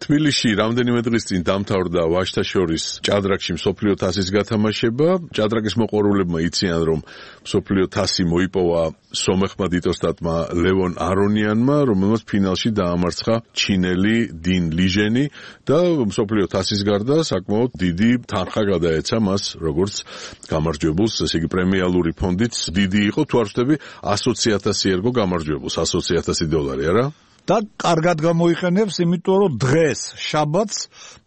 თბილისში რამდენიმე დღის წინ დამთავრდა ვაჟთა შორის ჭადრაკში მსოფლიო თასის გათამაშება. ჭადრაკის მოყვარულებმა იციან, რომ მსოფლიო თასი მოიპოვა სომეხმა დიტოსტატმა ლევონ არონიანმა, რომელმაც ფინალში დაამარცხა ჩინელი 딘 ლიჟენი და მსოფლიო თასის გარდა საკმაოდ დიდი თანხა გადაეცა მას, როგორც გამარჯვებულს, ესე იგი პრემიალური ფონდიც დიდი იყო, თუ არ ვთქვი 120,000 ერგო გამარჯვებულს, 120,000 დოლარი, არა? და კარგად გამოიყენებს, იმიტომ რომ დღეს შაბათს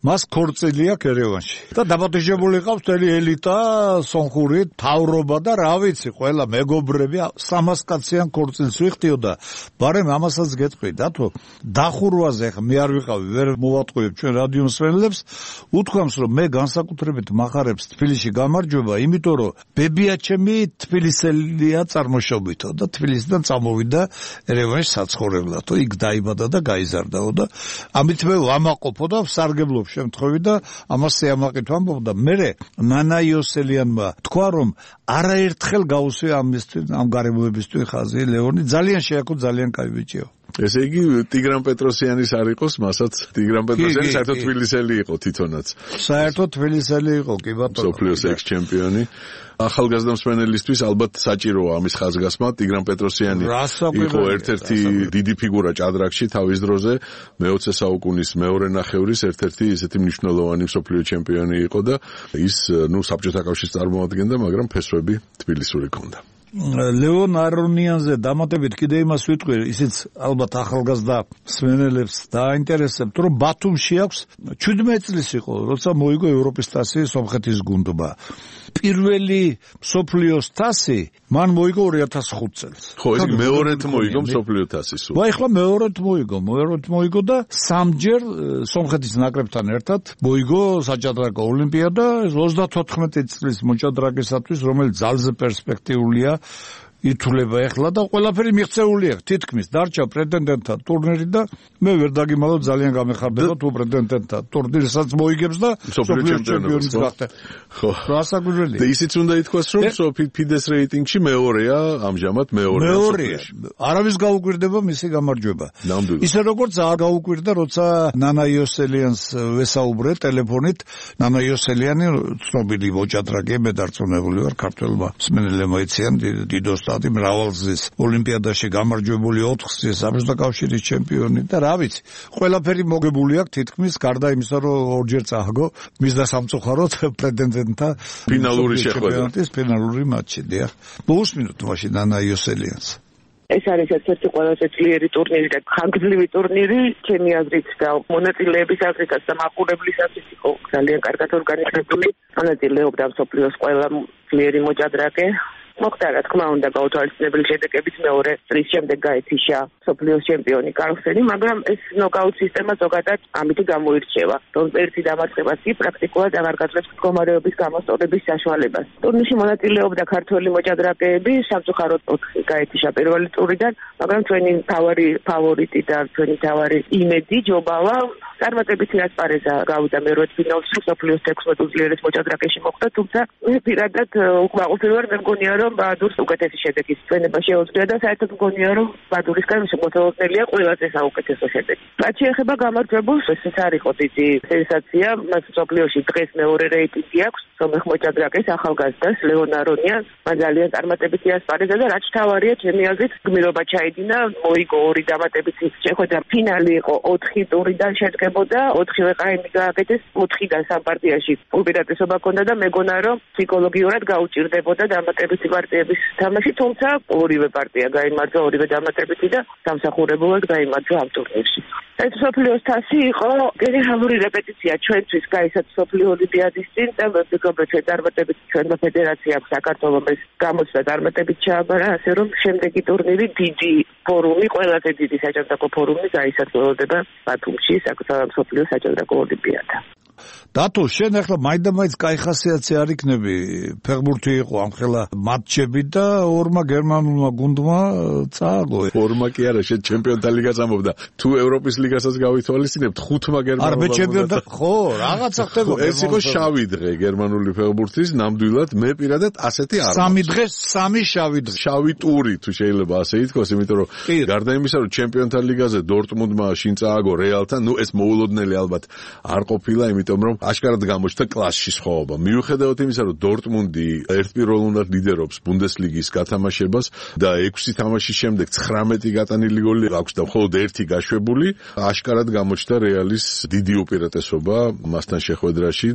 მას ქორწილი აქვს ერევანში. და დაბადებული ყავს მთელი ელიტა, სონხური, თავრობა და რა ვიცი, ყველა მეგობრები 300 კაციან ქორწილს ვიხდიოდა. ბარემ ამასაც გეტყვი, დათო, დახურვაზე ხა მე არ ვიყავი, ვერ მოვატყუებ ჩვენ რადიო მსმენელებს, უთქვამს რომ მე განსაკუთრებით მახარებს თბილისში გამარჯვება, იმიტომ რომ ბებიაჩემი თბილისელია წარმოშობითო და თბილისიდან წამოვიდა ერევანში საცხოვრებლად. იქ დაიბადა და გაიზარდაო და ამით მე ვამაყობო და ვსარგებლობ შემთხვევით და ამას სიამაყით ვამბობ და მე ნანა იოსელიანმა თქვა რომ არაერთხელ გაუსვია ამ გარემოებისთვის ხაზი ლეონი ძალიან შეაქო ძალიან კაი ბიჭიო. ესე იგი ტიგრან პეტროსიანის არ იყოს, მასაც ტიგრან პეტროსიანი საერთოდ თბილისელი იყო თვითონაც. საერთოდ თბილისელი იყო, კი ბატონო. მსოფლიოს ექს-ჩემპიონი. ახალგაზრდა მსმენელისთვის ალბათ საჭიროა ამის ხაზგასმა. ტიგრან პეტროსიანი იყო ერთ-ერთი დიდი ფიგურა ჭადრაკში თავის დროზე, მე-20 საუკუნის მეორე ნახევრის ერთ-ერთი ისეთი მნიშვნელოვანი მსოფლიო ჩემპიონი იყო და ის საბჭოთა კავშირს წარმოადგენდა, მაგრამ ფესვები თბილისური ჰქონდა. ლევონ არონიანზე დამატებით კიდე იმას ვიტყვი, ისიც ალბათ ახალგაზრდა მსმენელებს დაინტერესებთ, რომ ბათუმში აქვს 17 წლის იყო, როცა მოიგო ევროპის თასი სომხეთის გუნდმა. პირველი მსოფლიოს თასი მან მოიგო 2005 წელს. ხო, ეს მეორედ მოიგო მსოფლიო თასი სულ. ახლა მეორედ მოიგო და სამჯერ სომხეთის ნაკრებთან ერთად მოიგო საჭადრაკო ოლიმპიადა 34 წლის მოჭადრაკისათვის, რომელიც ძალზე პერსპექტიულია. ითვლება ახლა და ყველაფერი მიღწეული აქვს თითქმის დარჩა პრეტენდენტთა ტურნირი და მე ვერ დაგიმალავ ძალიან გამეხარდება თუ პრეტენდენტთა ტურნირსაც მოიგებს და მსოფლიო ჩემპიონიც გახდა. ხო. რასაკვირველია. და ისიც უნდა ითქვას რომ ფიდეს რეიტინგში მეორეა ამჟამად მეორეა. არავის გაუკვირდება მისი გამარჯვება. ისე როგორც არ გაუკვირდა როცა ნანა იოსელიანს ვესაუბრე ტელეფონით. ნანა იოსელიანი ცნობილი მოჭადრაკეა, მე დარწმუნებული ვარ ქართველმა მსმენელებმა იციან დიდოს მრავალგზის ოლიმპიადაში გამარჯვებული 4-ზე საბჭოთა კავშირის ჩემპიონი და რა ვიცი, ყველაფერი მოგებული აქვს თითქმის გარდა იმისა, რომ ორჯერ წააგო მის და სამწუხაროდ პრეტენდენტთა ფინალური შეხვედრა. ფინალური მატჩი, დიახ. მოусმინოთ მაშინ ნანა იოსელიანს. ეს არის ერთ-ერთი ყველაზე ძლიერი ტურნირი და ხანგრძლივი ტურნირი, ჩემი აზრით და მონაწილეების აზრითაც და მაყურებლის აზრით იყო ძალიან კარგად ორგანიზებული. მონაწილეობდა მსოფლიოს ყველა ძლიერი მოჭადრაკე. მოხდა რა თქმა უნდა გაუთვალისწინებელი შედეგებით მეორე წრის შემდეგ გაეთიშა მსოფლიოს ჩემპიონი კარლსენი, მაგრამ ეს ნოკაუტ სისტემა ზოგადად ამით გამოირჩევა. რომ ერთი დამარცხებაც კი პრაქტიკულად აღარ გაძლევს მდგომარეობის გამოსწორების საშუალებას. ტურნირში მონაწილეობდა ქართველი მოჭადრაკეები, სამწუხაროდ 4 გაეთიშა პირველი ტურიდან, მაგრამ ჩვენი მთავარი ფავორიტი და ჩვენი მთავარი იმედი ჯობავა წარმატებითი ასპარეზა გავიდა მერვე ფინალში მსოფლიოს 16 უძლიერეს მოჭადრაკეში მოხვდა, თუმცა პირადად უკმაყოფილ ვარ, მე მგონია რომ ბადურს უკეთესი შედეგის წვენება შეუძლია და საერთოდ მგონია რომ ბადურისგან შემოწმებულია ყველაზე საუკეთესო შედეგი. რაც შეეხება გამარჯვებულს, ეს არ იყო დიდი სენსაცია, მას მსოფლიოში დღეს მეორე რეიტინგი აქვს სომეხ მოჭადრაკეს ახალგაზრდას ლევონ არონიანს, მან ძალიან წარმატებითი ასპარეზა და რაც თავარია ჩემი აზრით გმირობა ჩაიდინა, მოიგო 2 დამატებითი შეხვედრა, ფინალი იყო 4 ტურიდან შედგებოდა, 4-ვე ყაიმი გააკეთეს, 4-დან სამ პარტიაში უპირატესობა ჰქონდა და მეგონა რომ ფსიქოლოგიურად გაუჭირდებოდა დამატებითი პარტიების თამაში, თუმცა ორივე პარტია გაიმარჯვა, ორივე დამატებითი და დამსახურებულად გაიმარჯვა ამ ტურნირში. ეს მსოფლიოს თასი იყო გენერალური რეპეტიცია ჩვენთვის გაისაც მსოფლიო ოლიმპიადის წინ და ვფიქრობ ჩვენ წარმატებით ჩვენმა ფედერაციამ საქართველოს გამოცდა წარმატებით ჩააბარა, ასე რომ შემდეგი ტურნირი დიდი ფორუმი, ყველაზე დიდი საჭადრაკო ფორუმი გაისახება ბათუმში, მსოფლიო საჭადრაკო ოლიმპიადა. დათო, შენ ახლა მაინდა-მაინც კაი ხასიათი არ იქნები, ფეხბურთი იყო ამ ხელა მატჩები და ორმა გერმანულმა გუნდმა წააგო. ორმა კი არა, შენ ჩემპიონთა ლიგას ამბობდა. თუ ევროპის ლიგასაც გავითვალისწინებთ, 5-მა გერმანულმა. არა, მე ჩემპიონთა, ხო, რაღაცა ხდებოდა. ეს იყო შავი დღე გერმანული ფეხბურთის, ნამდვილად მე პირადად ასეთი არ. 3 დღე, 3 შავი დღე. შავი ტური თუ შეიძლება ასე ითქვას, იმიტომ რომ გარდა იმისა, რომ ჩემპიონთა ლიგაზე დორტმუნდმა შინ წააგო რეალთან, ნუ ეს მოულოდნელი ალბათ არ ყოფილა, იმიტომ რომ აშკარად გამოჩნდა კლასში სხვაობა. მიუხედავად იმისა, რომ დორტმუნდი ერთპიროვნულად ლიდერობს ბუნდესლიგის გათამაშებას და 6 თამაშის შემდეგ 19 გატანილი გოლი აქვს და მხოლოდ 1 გაშვებული, აშკარად გამოჩნდა რეალის დიდი უპირატესობა მასთან შეხვედრაში.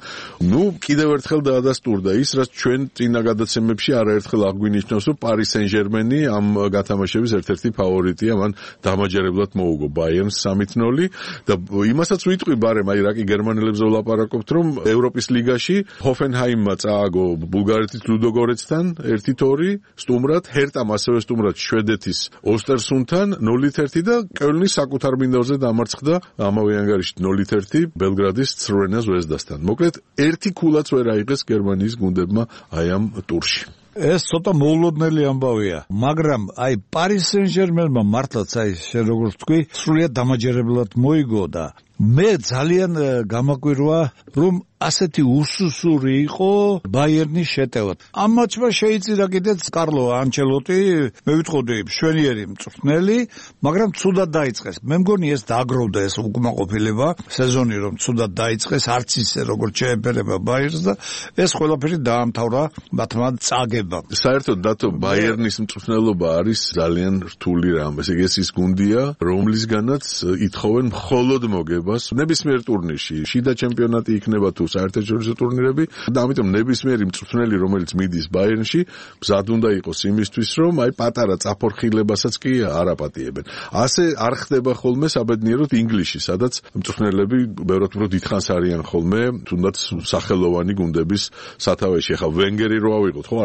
ნუ კიდევ ერთხელ დაადასტურდა ის, რაც ჩვენ წინა გადაცემებში არაერთხელ აგვინიშნავს, რომ პარი სენ-ჟერმენი ამ გათამაშების ერთ-ერთი ფავორიტია, მან დამაჯერებლად მოუგო ბაიერნს 3-0 და იმასაც ვიტყვი ბარემ, აი რა კი გერმანელებზე ვლაპარაკობთ, რომ ევროპის ლიგაში ჰოფენჰაიმმა წააგო ბულგარეთის ლუდოგორეცთან 1-2 სტუმრად, ჰერტამ ასევე სტუმრად შვედეთის ოსტერსუნთან 0-1 და კელნის საკუთარ მინდორზე დამარცხდა ამავე ანგარიშით 0-1 ბელგრადის ცრვენა ზვეზდასთან. მოკლედ, ერთი ქულაც ვერ აიღეს გერმანიის გუნდებმა აი ამ ტურში. ეს ცოტა მოულოდნელი ამბავია, მაგრამ აი პარი სენ-ჟერმენმა მართლაც აი შენ როგორც თქვი, სრულიად დამაჯერებლად მოიგო და მე ძალიან გამაკვირვა, რომ ასეთი უსუსური იყო ბაიერნის შეტევა. ამ მატჩმა შეიწირა კიდეც კარლო ანჩელოტი, მე ვიტყოდი მშვენიერი მწვრთნელი, მაგრამ ცუდად დაიწყეს. მე მგონი ეს დააგროვდა ეს უკმაყოფილება, სეზონი რომ ცუდად დაიწყეს, არც ისე როგორც შეეფერება ბაიერნს და ეს ყველაფერი დაამთავრა მათმა წაგებამ. საერთოდ დათო ბაიერნის მწვრთნელობა არის ძალიან რთული რამ. ესე იგი ეს ის გუნდია, რომლისგანაც ითხოვენ მხოლოდ მოგებას ნებისმიერ ტურნირში. შიდა ჩემპიონატი იქნება თუ საერთაშორისო ტურნირები და ამიტომ ნებისმიერი მწვრთნელი, რომელიც მიდის ბაიერნში, მზად უნდა იყოს იმისთვის, რომ აი პატარა წაფორხილებასაც კი არ აპატიებენ. ასე არ ხდება ხოლმე საბედნიეროდ ინგლისში, სადაც მწვრთნელები ბევრად უფრო დიდხანს არიან ხოლმე, თუნდაც სახელოვანი გუნდების სათავეში. ახლა ვენგერი რო ავიღოთ, ხო,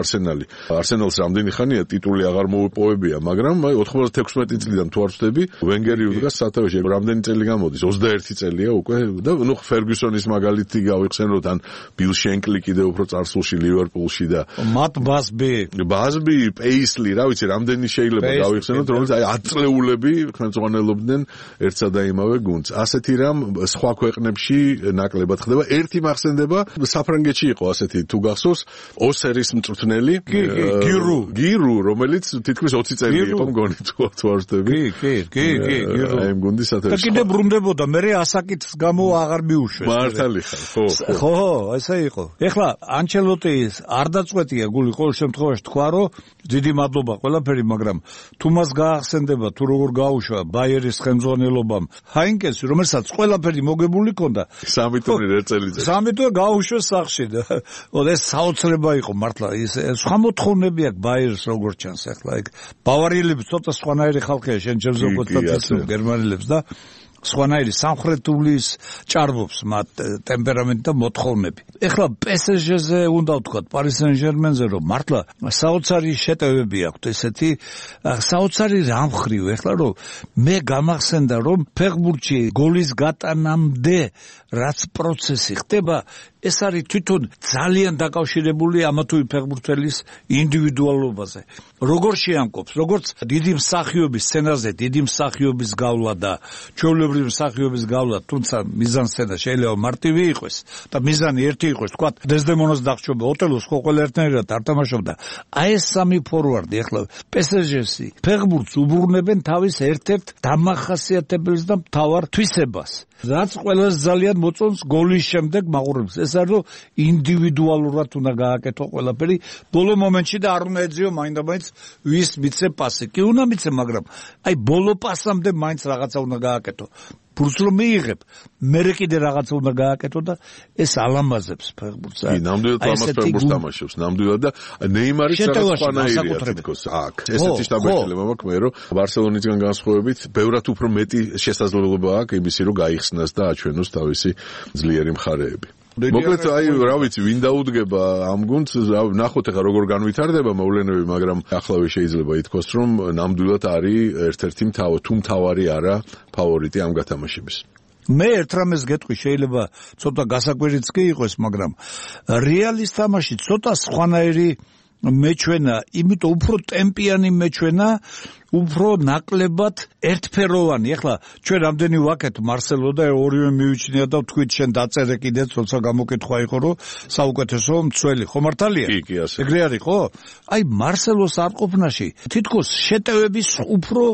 არსენალს რამდენი ხანია ტიტული აღარ მოუპოვებია, მაგრამ აი 96 წლიდან თუ არ ვწდები, ვენგერი უდგას სათავეში. რამდენი წელი გამოდის? 21 წელია უკვე და ნუ ფერგუსონის მაგალითი გავიხსენოთ, ან ბილ შენკლი კიდევ უფრო წარსულში ლივერპულში და მათ ბაზბი, პეისლი, რა ვიცი, რამდენი შეიძლება გავიხსენოთ, რომელიც აი 10 წლეულები ხელმძღვანელობდნენ ერთსა და იმავე გუნდს. ასეთი რამ სხვა ქვეყნებში ნაკლებად ხდება. ერთი მახსენდება, საფრანგეთში იყო ასეთი, თუ გახსოვს, ოსერის მწვრთნელი გირუ, რომელიც თითქმის 20 წელი იყო მგონი თუ არ ვწდები. კი, გირუ. აი გუნდის სათავეში. და კიდე ბრუნდებოდა, მე ასაკის გამო აღარ მიუშვეს. მართალი ხარ, ხო, ესე იყო. ეხლა ანჩელოტის არ დაწყვეტია გული, ყოველ შემთხვევაში თქვა, რომ დიდი მადლობა ყველაფერი, მაგრამ თუ მას გაახსენდება, თუ როგორ გაუშვა ბაიერის ხელმძღვანელობამ ჰაინკენსი, რომელსაც ყველაფერი მოგებული ჰქონდა 3 ტურნირი წელიწადში. 3 ტურნირი გაუშვეს სახში და ეს საოცრება იყო მართლა. ის სხვა მოთხოვნები აქვს ბაიერს როგორც ჩანს ახლა ეგ. ბავარიელები ცოტა სხვანაირი ხალხია, შენ ჯერ ზოგადად გერმანელებს და სხვანაირი სამხრეთულის ჭარბობს მათ ტემპერამენტი და მოთხოვნები. ეხლა PSG-ზე უნდა ვთქვათ, პარი სენ-ჟერმენზე, რომ მართლა საოცარი შეტევები აქვთ ესეთი, საოცარი რამხრივ, ეხლა რომ მე გამახსენდა, რომ ფეხბურთში გოლის გატანამდე რაც პროცესი ხდება, ეს არის თვითონ ძალიან დაკავშირებული ამა თუ იმ ფეხბურთელის ინდივიდუალობაზე. როგორ შეამკობს, როგორც დიდი მსახიობის სცენაზე, დიდი მსახიობის გავლა და ჩვეულებრივი მსახიობის გავლა, თუმცა მიზანსცენა შეიძლება მარტივი იყოს და მიზანი ერთი იყოს, თქვა დეზდემონას დახშობა, ოტელოს ხო ყველა ერთნაირად არ თამაშობდა. აი ეს სამი ფორვარდი ახლა PSG-ში ფეხბურთს უბრუნებენ თავის ერთ-ერთ დამახასიათებელს და მთავარ თვისებას. რაც ყველას ძალიან მოწონს გოლის შემდეგ მაყურებს. ეს არის რომ ინდივიდუალურად უნდა გააკეთო ყველაფერი ბოლო მომენტში და არ უნდა ეძიო მაინდა-მაინც ვის მიცე პასი. კი უნდა მიცე, მაგრამ აი ბოლო პასამდე მაინც რაღაცა უნდა გააკეთო. ფურს რომ მიიღებ, მერე კიდე რაღაცა უნდა გააკეთო და ეს ალამაზებს ფეხბურთს. კი, ნამდვილად ამას ფეხბურთს თამაშობს, ნამდვილად და ნეიმარის რაღაც ფანაირია თითქოს აქ. ესეთი შტაბეჭდილება მაქვს მე, რომ ბარსელონისგან განსხვავებით, ბევრად უფრო მეტი შესაძლებლობა აქვს იმისი, რომ გაიხსნას და აჩვენოს თავისი ძლიერი მხარეები. მოკლედ აი რა ვიცი, ვინ დაუდგება ამ გუნდს, ნახოთ ახლა როგორ განვითარდება მოვლენები, მაგრამ ახლავე შეიძლება ითქვას, რომ ნამდვილად არის ერთ-ერთი მთავარი არა ფავორიტი ამ გათამაშების. მე ერთ რამეს გეტყვი, შეიძლება ცოტა გასაკვირიც კი იყოს, მაგრამ რეალის თამაში ცოტა სხვანაირი მეჩვენა, იმიტომ უფრო ტემპიანი მეჩვენა, უფრო ნაკლებად ერთფეროვანი. ეხლა ჩვენ რამდენი ვაკეთ მარსელო და ორივე მივიჩნია და ვთქვით შენ დაწერე კიდეც, როცა გამოკითხვა იყო, რომ საუკეთესო მცველი, ხო მართალია? კი, ასე. ეგრე არის, ხო? აი მარსელოს არყოფნაში თითქოს შეტევების უფრო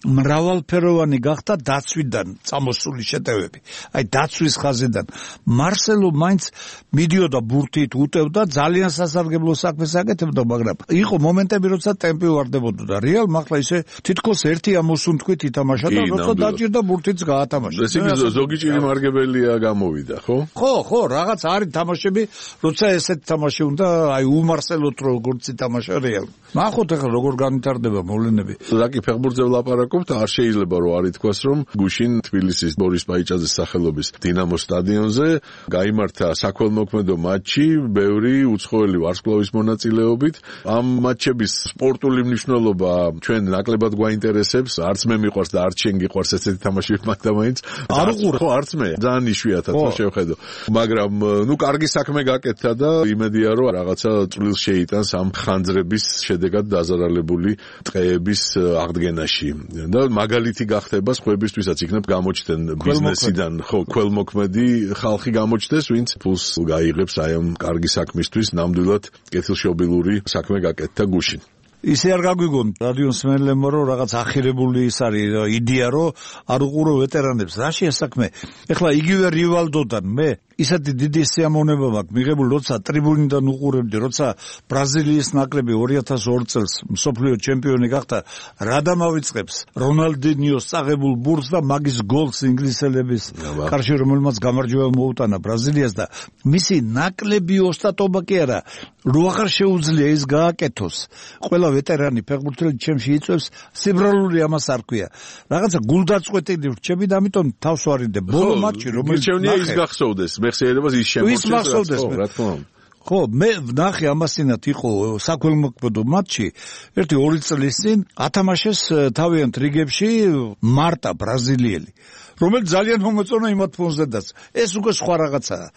მრავალფეროვანი გახდა დაცვიდან წამოსული შეტევები. აი დაცვის ხაზიდან მარსელო მაინც მიდიოდა ბურთით, უტევდა, ძალიან სასარგებლო საქმეს აკეთებდა, მაგრამ იყო მომენტები, როცა ტემპი ვარდებოდა და რეალ ახლა ისე თითქოს ერთი ამოსუნთქვით ითამაშა და როცა დაჭირდა ბურთიც გაათამაშა. ეს იგი ზოგი ჭირი მარგებელია გამოვიდა, ხო? ხო, რაღაც არის თამაშები, როცა ესეთ თამაში უნდა, აი უმარსელოთ როგორც ითამაშა რეალ. ნახოთ ახლა როგორ განვითარდება მოვლენები. ზაკი ფეხბურთზე ვლაპარაკობთ, არ შეიძლება რომ არ ითქვას, რომ გუშინ თბილისის ბორის პაიჭაძის სახელობის დინამოს სტადიონზე გაიმართა საქველმოქმედო მატჩი, ბევრი უცხოელი ვარსკვლავის მონაწილეობით. ამ მატჩების სპორტული მნიშვნელობა ჩვენ ნაკლებად გვაინტერესებს, არც მე მიყვარს და არც შენ გიყვარს ესეთი თამაშები მაგდამაინც. არ უყურე. ხო, არც მე, ძალიან იშვიათად რა შევხედო. მაგრამ კარგი საქმე გაკეთდა და იმედია რომ რაღაცა წვრილს შეიტანს ამ ხანძრების შედეგად დაზარალებული ტყეების აღდგენაში. და მაგალითი გახდება სხვებისთვისაც, იქნებ გამოჩნდნენ ბიზნესიდან, ხო, ქველმოქმედი ხალხი გამოჩნდეს, ვინც ფულს გაიღებს აი ამ კარგი საქმისთვის, ნამდვილად კეთილშობილური საქმე გაკეთდა გუშინ. ისე არ გაგვიგონ რადიოს მენელებმა, რომ რაღაც ახირებული ის არის იდეა, რომ არ უყურო ვეტერანებს. რაშია საქმე? ეხლა იგივე რივალდოდან მე ისეთი დიდი სიამოვნება მაქვს მიღებული, როცა ტრიბუნიდან უყურებდი, როცა ბრაზილიის ნაკრები 2002 წელს მსოფლიო ჩემპიონი გახდა, რა დამავიწყებს რონალდინიოს წაღებულ ბურთს და მაგის გოლს ინგლისელების კარში, რომელმაც გამარჯვება მოუტანა ბრაზილიას და მისი ნაკლები ოსტატობა კი არა, რო აღარ შეუძლია ის გააკეთოს. ყველა ვეტერანი ფეხბურთელი ჩემში იწევს, სიბრალული ამას არ ქვია. რაღაცა გულდაწყვეტილი რჩები და ამიტომ თავს ვარიდე. ბოლო მატჩი, რომელიც მირჩევნია ის გახსოვდეს, მეხსიერებას ის შემორჩეს. რა თქმა უნდა. ხო, მე ვნახე ამასინათ იყო საქველმოქმედო მატჩი, 1-2 წლის წინ ათამაშეს თავიანთ რიგებში მარტა ბრაზილიელი, რომელიც ძალიან მომეწონა იმათ ფონზედაც. ეს უკვე სხვა რაღაცაა.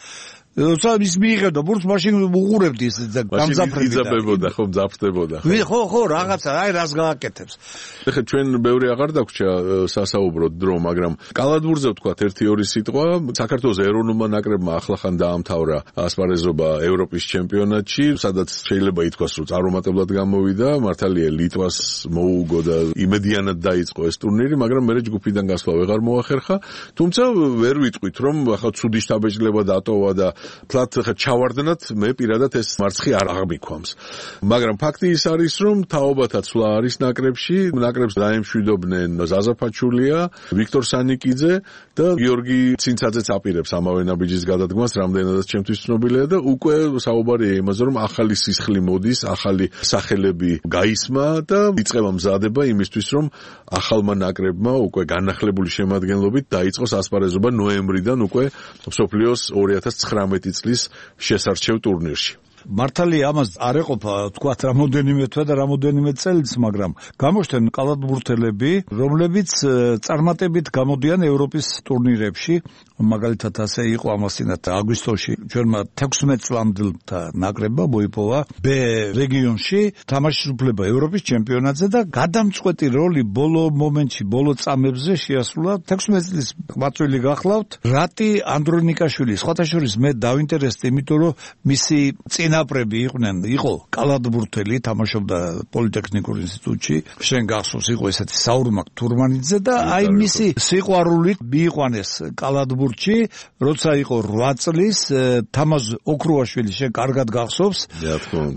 როცა ის მიიღებდა ბურთს, მაშინ უყურებდი ის გამძაფრებით. იძაბებოდა, ხო, მძაფრდებოდა. ხო, რაღაცა, აი რას გააკეთებს. ეხლა ჩვენ ბევრი აღარ დაგვრჩა სასაუბროდ დრო, მაგრამ კალათბურთზე ვთქვათ 1-2 სიტყვა. საქართველოს ეროვნულმა ნაკრებმა ახლახან დაამთავრა ასპარეზობა ევროპის ჩემპიონატში, სადაც შეიძლება ითქვას, რომ წარუმატებლად გამოვიდა, მართალია ლიტვას მოუგო და იმედიანად დაიწყო ეს ტურნირი, მაგრამ მე ჯგუფიდან გასვლა ვეღარ მოახერხა. თუმცა ვერ ვიტყვით, რომ ახლა ცუდი შტაბეჭდილება დატოვა და თლათ ჩავარდნათ, მე პირადად ეს მარცხი არ აღმიქვამს. მაგრამ ფაქტი ის არის, რომ თაობათა ცვლა არის ნაკრებში, ნაკრებს დაემშვიდობდნენ ზაზა ფაჩულია, ვიქტორ სანიკიძე და გიორგი ცინცაძეც აპირებს ამავე ნაბიჯის გადადგმას, რამდენადაც ჩემთვის ცნობილია და უკვე საუბარია იმაზე, რომ ახალი სისხლი მოდის, ახალი სახელები გაისმა და იწყება მზადება იმისთვის, რომ ახალმა ნაკრებმა უკვე განახლებული შემადგენლობით დაიწყოს ასპარეზობა ნოემბრიდან უკვე მსოფლიოს 2019 წლის შესარჩევ ტურნირში. მართალია ამას არ ეყოფა თქვათ რამოდენიმე თვე და რამოდენიმე წელიც, მაგრამ გამოჩნდნენ კალათბურთელები, რომლებიც წარმატებით გამოდიან ევროპის ტურნირებში. მაგალითად ასე იყო ამასინათ აგვისტოში ჩვენმა 16 წლამდელთა ნაკრებმა მოიპოვა B რეგიონში თამაშის უფლება ევროპის ჩემპიონატზე და გადამწყვეტი როლი ბოლო მომენტში, ბოლო წამებზე შეასრულა 16 წლის მაწვილი გახლავთ რატი ანდრონიკაშვილი. სხვათა შორის მე დავინტერესდი, იმიტომ რომ მისი წინაპრები იყო კალათბურთელი, თამაშობდა პოლიტექნიკურ ინსტიტუტში, შენ გახსოვს იყო ესეთი საურმაკ თურმანიძე და აი მისი სიყვარულით მიიყვანეს კალათბურთში, როცა იყო 8 წლის, თამაზ ოქრუაშვილი შენ კარგად გახსოვს,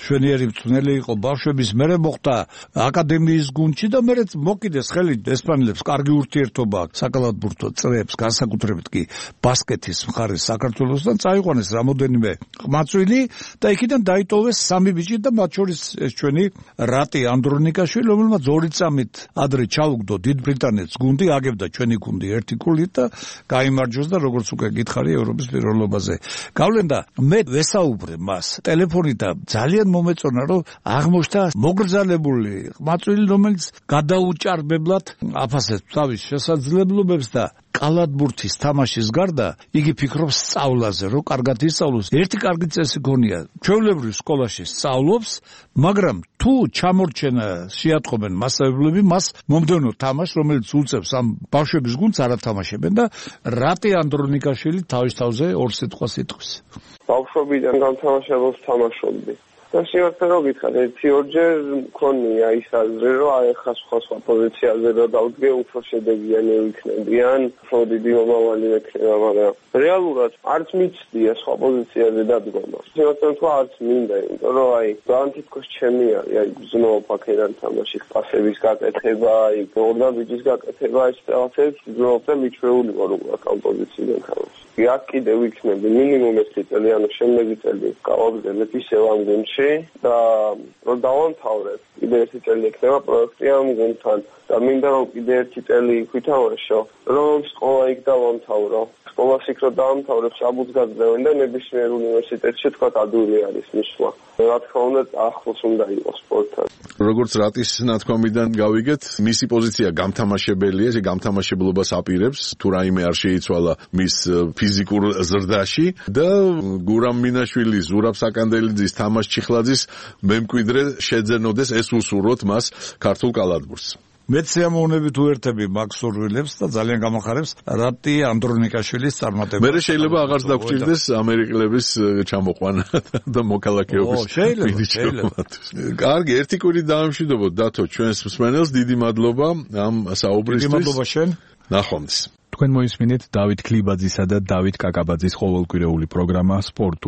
შვენიერი მწვრთნელი იყო ბავშვების, მერე მოხდა აკადემიის გუნდში და მერე მოკიდეს ხელი ესპანელებს კარგი ურთიერთობა საკალათბურთო წრეებს, განსაკუთრებით კი ბასკეთის მხარეს საქართველოსთან წაიყვანეს რამოდენიმე ყმაწვილი და იქიდან დაიტოვეს 3 ბიჭი და მათ შორის ეს ჩვენი რატი ანდრონიკაშვილი, რომელმაც 2 წამით ადრე ჩაუგდო დიდ ბრიტანეთს გუნდი, აგებდა ჩვენი გუნდი ერთი ქულით და გაიმარჯვეს და როგორც უკვე გითხარი ევროპის პირველობაზე. გავლენდა მე ვესაუბრე მას ტელეფონით და ძალიან მომეწონა, რომ აღმოჩნდა მოგრძალებული ყმაწვილი, რომელიც გადაუჭარბებლად აფასებს თავის შესაძლებლობებს და კალათბურთის თამაშის გარდა იგი ფიქრობს სწავლაზე, რომ კარგად ისწავლოს. ერთი კარგი წესი გონია. ჩვეულებრივ სკოლაში სწავლობს, მაგრამ თუ ჩამორჩენა შეატყობენ მასწავლებლები, მას მომდევნო თამაშს, რომელიც უწევს ამ ბავშვების გუნდს არ ათამაშებენ და რატი ანდრონიკაშვილი თავის თავზე ორ სიტყვას იტყვის. ბავშვობიდან გამთამაშებელს თამაშობდი. და შეიძლება რომ გითხრათ, ერთი-ორჯერ მქონია ის აზრი, რომ აი ხა სხვა პოზიციაზე რომ დავდგე, უფრო შედეგიანი ვიქნები, ან უფრო დიდი მომავალი ექნება, მაგრამ რეალურად არც მიცდია სხვა პოზიციაზე დადგომა. შეიძლება თქვა არც მინდა, იმიტომ რომ აი ძალიან თითქოს ჩემი არის, აი გზნობ აქედან თამაში, პასების გაკეთება, აი ორდაბიჯის გაკეთება, ეს რაღაცებს გზნობ და მიჩვეული ვარ უბრალოდ ამ პოზიციიდან თამაში. აქ კიდე ვიქნები მინიმუმ 1 წელი, ანუ შემდეგი წელი გავაგრძელებ ისევ ამ გუნდში და რომ დავამთავრებ, კიდე 1 წელი ექნება პროექტი ამ გუნდთან და მინდა რომ კიდე 1 წელი ვითამაშო, რომ სკოლა იქ დავამთავრო. სკოლას იქ რომ დავამთავრებ, საბუთს გაძლევენ და ნებისმიერ უნივერსიტეტში თქვა ადვილი არის მისვლა. რა თქმა უნდა, ახლოს უნდა იყოს სპორტთან. როგორც რატის ნათქვამიდან გავიგეთ, მისი პოზიცია გამთამაშებელია, ეს გამთამაშებლობას აპირებს, თუ რაიმე არ შეიცვალა მის ფიზიკურ ზრდაში და გურამ მინაშვილის, ზურაბ საკანდელიძის, თამაშ ჩიხლაძის მემკვიდრე შეძენოდეს ეს უსურვოთ მას ქართულ კალათბურთს. მეც სიამოვნებით უერთები მაგ სურვილებს და ძალიან გამახარებს რატი ანდრონიკაშვილის წარმატება. მე შეიძლება აღარც დაგჭირდეს ამერიკელების ჩამოყვანა და მოქალაქეობის. შეიძლება. კარგი, ერთი კვირით დაამშვიდობოთ დათო ჩვენს მსმენელს, დიდი მადლობა ამ საუბრისთვის. დიდი მადლობა შენ. ნახვამდის. თქვენ მოისმინეთ დავით ქლიბაძისა და დავით კაკაბაძის ყოველკვირეული პროგრამა სპორტული